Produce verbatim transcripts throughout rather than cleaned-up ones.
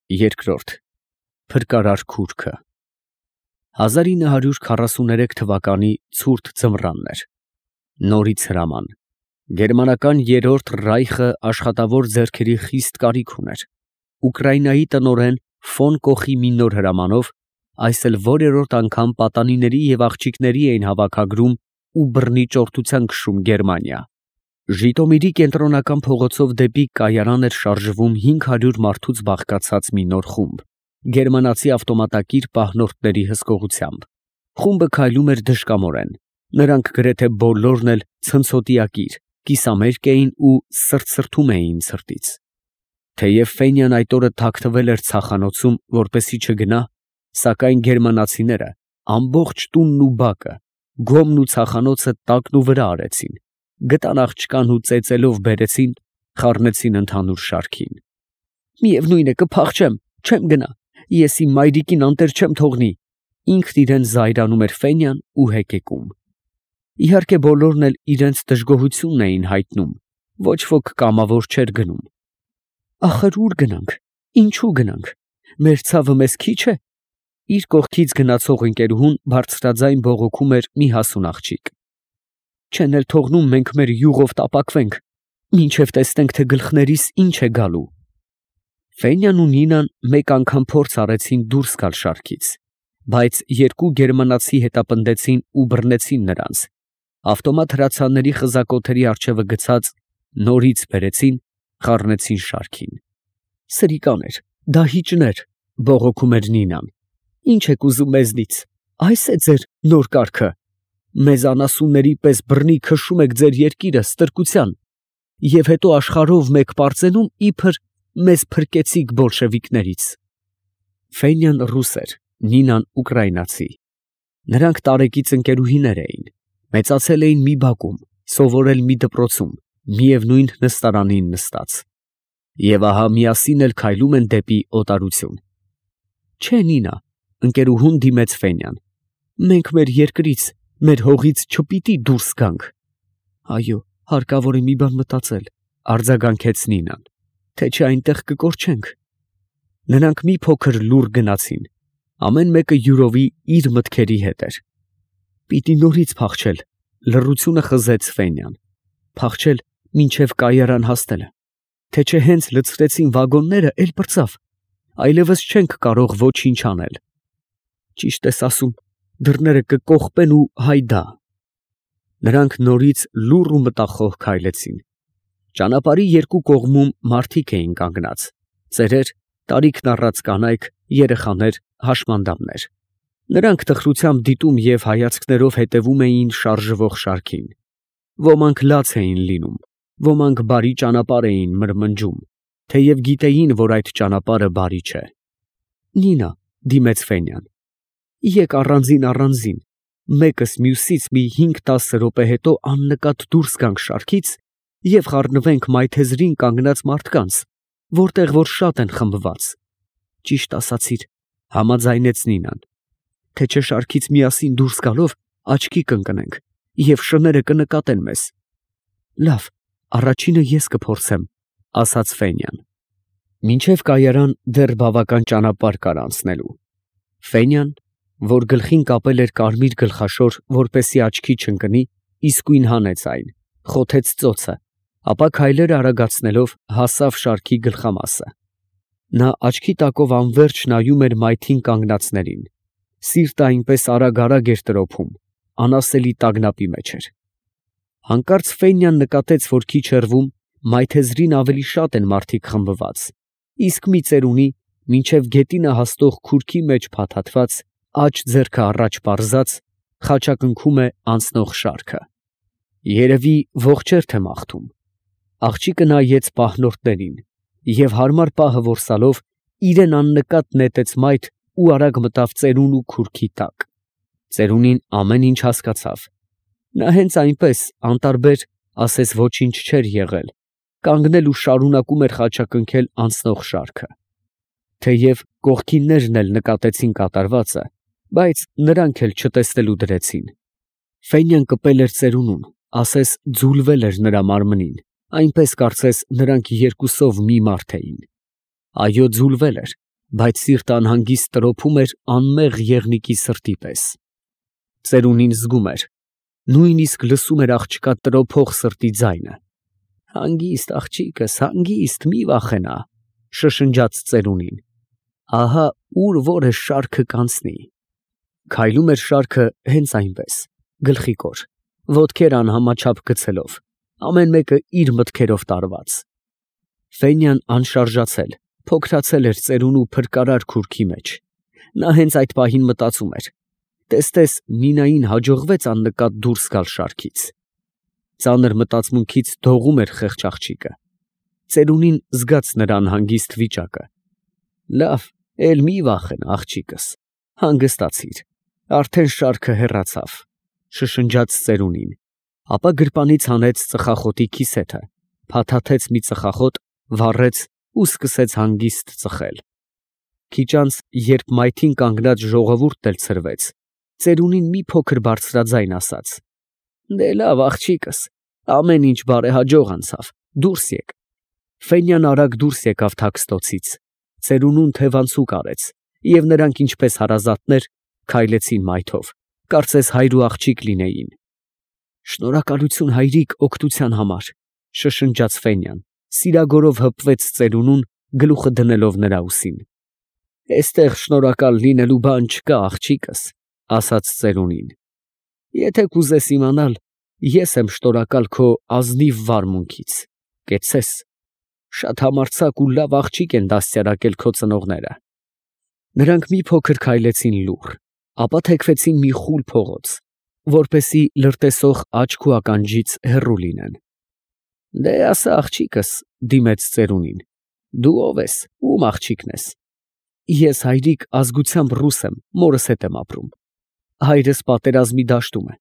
Երկրորդ Փրկարար քուրքը հազար ինը հարյուր քառասուներեք թվականի ցուրտ ձմռանն էր։ Նորից հրաման։ Գերմանական երրորդ Ռայխը աշխատավոր ձեռքերի խիստ կարիք ուներ։ Ուկրաինայի տնօրեն ֆոն Կոխի մի նոր հրամանով այս էլ որերորդ անգամ պատանիների և աղջիկների էին հավաքագրում ու բռնի ճորտության քշում Գերմանիա։ Ժիտոմիրի կենտրոնական փողոցով դեպի կայարան էր շարժվում հինգ հարյուր մարդուց բաղկացած մի նոր խումբ, գերմանացի ավտոմատակիր պահնորդների հսկողությամբ։ Խումբը քայլում էր դժկամորեն, նրանք գրեթե բոլորն էլ ցնցոտիակիր, կիսամերկ էին ու սրտսրտում էին ցրտից։ Թեև Ֆենյան այդ օրը թաքնվել էր ցախանոցում, որպեսզի չգնա, սակայն գերմանացիները ամբողջ տունն ու բակը, գոմն ու ցախանոցը տակն ու վրա արեցին, գտան աղջկան ու ծեծելով բերեցին, խառնեցին ընդհանուր շարքին։ Միևնույն է, կփախչեմ, չեմ գնա, ես իմ մայրիկին անտեր չեմ թողնի, ինքն իրեն զայրանում էր Ֆենյան ու հեկեկում։ Իհարկե բոլորն էլ իրենց դժգոհությունն էին հայտնում, ոչ ոք կամավոր չէր գնում։ Ախր ուր գնանք, ինչու գնանք, մեր ցավը մեզ քիչ է։ Իր կողքից գնացող ընկերուհուն բարձրաձայն բողոքում էր մի հասուն աղջիկ։ Չեն էլ թողնում մենք մեր յուղով տապակվենք, մինչև տեսնենք, թե գլխներիս ինչ է գալու։ Ֆենյան ու Նինան մեկ անգամ փորձ արեցին դուրս գալ շարքից, բայց երկու գերմանացի հետապնդեցին ու բռնեցին նրանց, ավտոմատ հրացանների խզակոթերի առջևը գցած նորից բերեցին, խառնեցին շարքին։ Սրիկաներ, դահիճներ, բողոքում էր Նինան։ Ինչ եք ուզում մեզնից, այս է ձեր նոր կարգը, մեզ անասունների պես բռնի քշում եք ձեր երկիրը ստրկության, և հետո աշխարհով մեկ պարծենում իբր մեզ փրկեցիք բոլշևիկներից։ Ֆենյան ռուս էր, Նինան ուկրաինացի։ Նրանք տարեկից ընկերուհիներ էին, մեծացել էին մի բակում, սովորել մի դպրոցում, միևնույն նստարանին նստած։ Եվ ահա միասին էլ քայլում են դեպի օտարություն։ Չէ, Նինա, ընկերուհուն դիմեց Ֆենյան, մենք մեր երկրից, մեր հողից չպիտի դուրս գանք։ Այո, հարկավոր է մի բան մտածել, արձագանքեց Նինան, թե չէ այնտեղ կկորչենք։ Նրանք մի փոքր լուռ գնացին, ամեն մեկը յուրովի իր մտքերի հետ էր։ Պիտի նորից փախչել, լռությունը խզեց Ֆենյան, փախչել մինչև կայարան հասնելը, թե չէ հենց լցրեցին վագոնները, էլ պրծավ, այլևս չենք կարող ոչինչ անել։ Ճիշտ ես ասում, դռները կկողպեն ու հայդա։ Նրանք նորից լուռ ու մտախոհ քայլեցին։ Ճանապարհի երկու կողմում մարդիկ էին կանգնած, ծերեր, տարիքն առած կանայք, երեխաներ, հաշմանդամներ։ Նրանք տխրությամբ դիտում և հայացքներով հետևում էին շարժվող շարքին։ Ոմանք լաց էին լինում, ոմանք բարի ճանապարհ էին մրմնջում, թեև գիտեին, որ այդ ճանապարհը բարի չէ։ Նինա, դիմեց Ֆենյան, եկ առանձին առանձին, մեկս մյուսից մի հինգ֊տասը րոպե հետո աննկատ դուրս գանք շարքից և խառնվենք մայթեզրին կանգնած մարդկանց, որտեղ որ շատ են խմբված։ Ճիշտ ասացիր, համաձայնեց Նինան, թե չէ շարքից միասին դուրս գալով աչքի կընկնենք և շները կնկատեն մեզ։ Լավ, առաջինը ես կփորձեմ, ասաց Ֆենյան։ Մինչև կայարան դեռ բավական ճանապարհ կար անցնելու։ Ֆենյան, որ գլխին կապել էր կարմիր գլխաշոր, որպեսզի աչքի չընկնի, իսկույն հանեց այն, խոթեց ծոցը, ապա քայլերը արագացնելով հասավ շարքի գլխամասը։ Նա աչքի տակով անվերջ նայում էր մայթին կանգնածներին, սիրտը այնպես արագ-արագ էր տրոփում, անասելի տագնապի մեջ էր։ Հանկարծ Ֆենյան նկատեց, որ քիչ հեռվում մայթեզրին ավելի շատ են մարդիկ խմբված, իսկ մի ծերունի մինչև գետինը հասնող քուրքի մեջ փաթաթված, աջ ձեռքը առաջ պարզած, խաչակնքում է անցնող շարքը։ Երևի ողջ էր թե մաղթում։ Աղջիկը նայեց պահնորդներին և հարմար պահը որսալով իրեն աննկատ նետեց մայթ ու արագ մտավ ծերունու քուրքի տակ։ Ծերունին ամեն ինչ հասկացավ։ Նա հենց այնպես անտարբեր, ասես ոչինչ չէր եղել, կանգնել ու շարունակում էր խաչակնքել անցնող շարքը։ Թեև կողքիններն էլ նկատեցին կատարվածը, բայց նրանք էլ չտեսնելու դրեցին։ Ֆենյան կպել էր ծերունուն, ասես ձուլվել էր նրա մարմնին, այնպես կարծես նրանք երկուսով մի մարդ էին։ Այո, ձուլվել էր, բայց սիրտը անհանգիստ տրոփում էր անմեղ եղնիկի սրտի պես։ Ծերունին զգում էր, նույնիսկ լսում էր աղջկա տրոփող սրտի ձայնը։ «Հանգիստ, աղջիկս, հանգիստ, մի վախենա», շշնջաց ծերունին։ «Ահա ուր որը շարքը կանցնի»։ Քայլում էր շարքը հենց այնպես, գլխիկոր, ոտքեր անհամաչափ գցելով, ամեն մեկը իր մտքերով տարված։ Ֆենյան անշարժացել, փոքրացել էր ծերունու փրկարար քուրքի մեջ։ Նա հենց այդ պահին մտածում էր. տես-տես Նինային հաջողվեց աննկատ դուրս գալ շարքից։ Ծանր մտածմունքից դողում էր խեղճ աղջիկը։ Ծերունին զգաց նրա անհանգիստ վիճակը։ «Լավ, էլ մի վախենա, աղջիկս, հանգստացիր, արդեն շարքը հեռացավ», շշնջաց ծերունին, ապա գրպանից հանեց ծխախոտի քիսեթը, փաթաթեց մի ծխախոտ, վառեց ու սկսեց հանգիստ ծխել։ Քիչ անց, երբ մայթին կանգնած ժողովուրդն էլ ցրվեց, ծերունին մի փոքր բարձրաձայն ասաց. «Դե լավ, աղջիկս, ամեն ինչ բարեհաջող անցավ, դուրս եկ»։ Ֆենյան արագ դուրս եկավ թաքստոցից, ծերունուն թևանցուկ արեց, և նրանք ինչպես հարազատներ քայլեցին մայթով, կարծես հայր ու աղջիկ լինեին։ «Շնորհակալություն, հայրիկ, օգնության համար», շշնջաց Ֆենյան, սիրագորով հպվեց ծերունուն, գլուխը դնելով նրա ուսին։ «Էստեղ շնորհակալ լինելու բան չկա, աղջիկս», ասաց ծերունին։ «Եթե կուզես իմանալ, ես եմ շնորհակալ քո ազնիվ վարմունքից, կեցցես, շատ համարձակ ու լավ աղջիկ են դաստիարակել քո ծնողները»։ Նրանք մի փոքր քայլեցին լուռ, ապա թեքվեցին մի խուլ փողոց, որպեսզի լրտեսող աչք ու ականջից հեռու լինեն։ «Դե ասա, աղջիկս», դիմեց ծերունին, «դու ով ես, ում աղջիկն ես»։ «Ես, հայրիկ, ազգությամբ ռուս եմ, մորս հետ եմ ապրում։ Հայրս պատերազմի դաշտում է։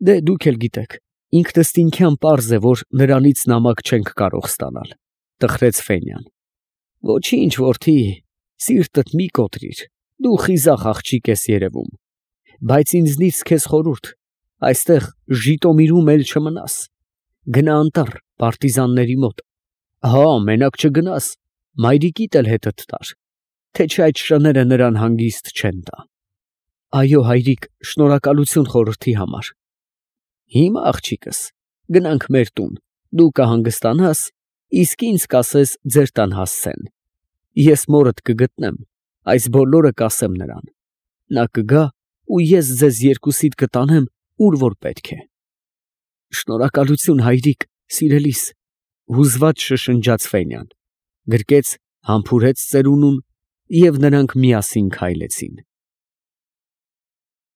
Դե դուք էլ գիտեք, ինքնըստինքյան պարզ է, որ նրանից նամակ չենք կարող ստանալ», տխրեց Ֆենյան։ «Ոչինչ, որդի, սիրտդ մի կոտրիր, դու խիզախ աղջիկ ես երևում, բայց ինձնից քեզ խորհուրդ, այստեղ Ժիտոմիրում էլ չմնաս, գնա անտառ, պարտիզանների մոտ, հա, մենակ չգնաս, մայրիկիդ էլ հետդ տար, թե չէ այդ շները նրան հանգիստ չեն տա»։ «Այո, հայրիկ, շնորհակալություն խորհրդի համար»։ «Հիմա, աղջիկս, գնանք մեր տուն, դու կհանգստանաս, իսկ ինձ կասես ձեր տան հասցեն։ Ես մորդ կգտնեմ, այս բոլորը կասեմ նրան։ Նա կգա ու ես ձեզ երկուսիդ կտանեմ, ուր որ պետք է»։ «Շնորհակալություն, հայրիկ, սիրելիս», հուզված շշնջաց Ֆենյան, գրկեց, համբուրեց ծերունուն, և նրանք միասին քայլեցին։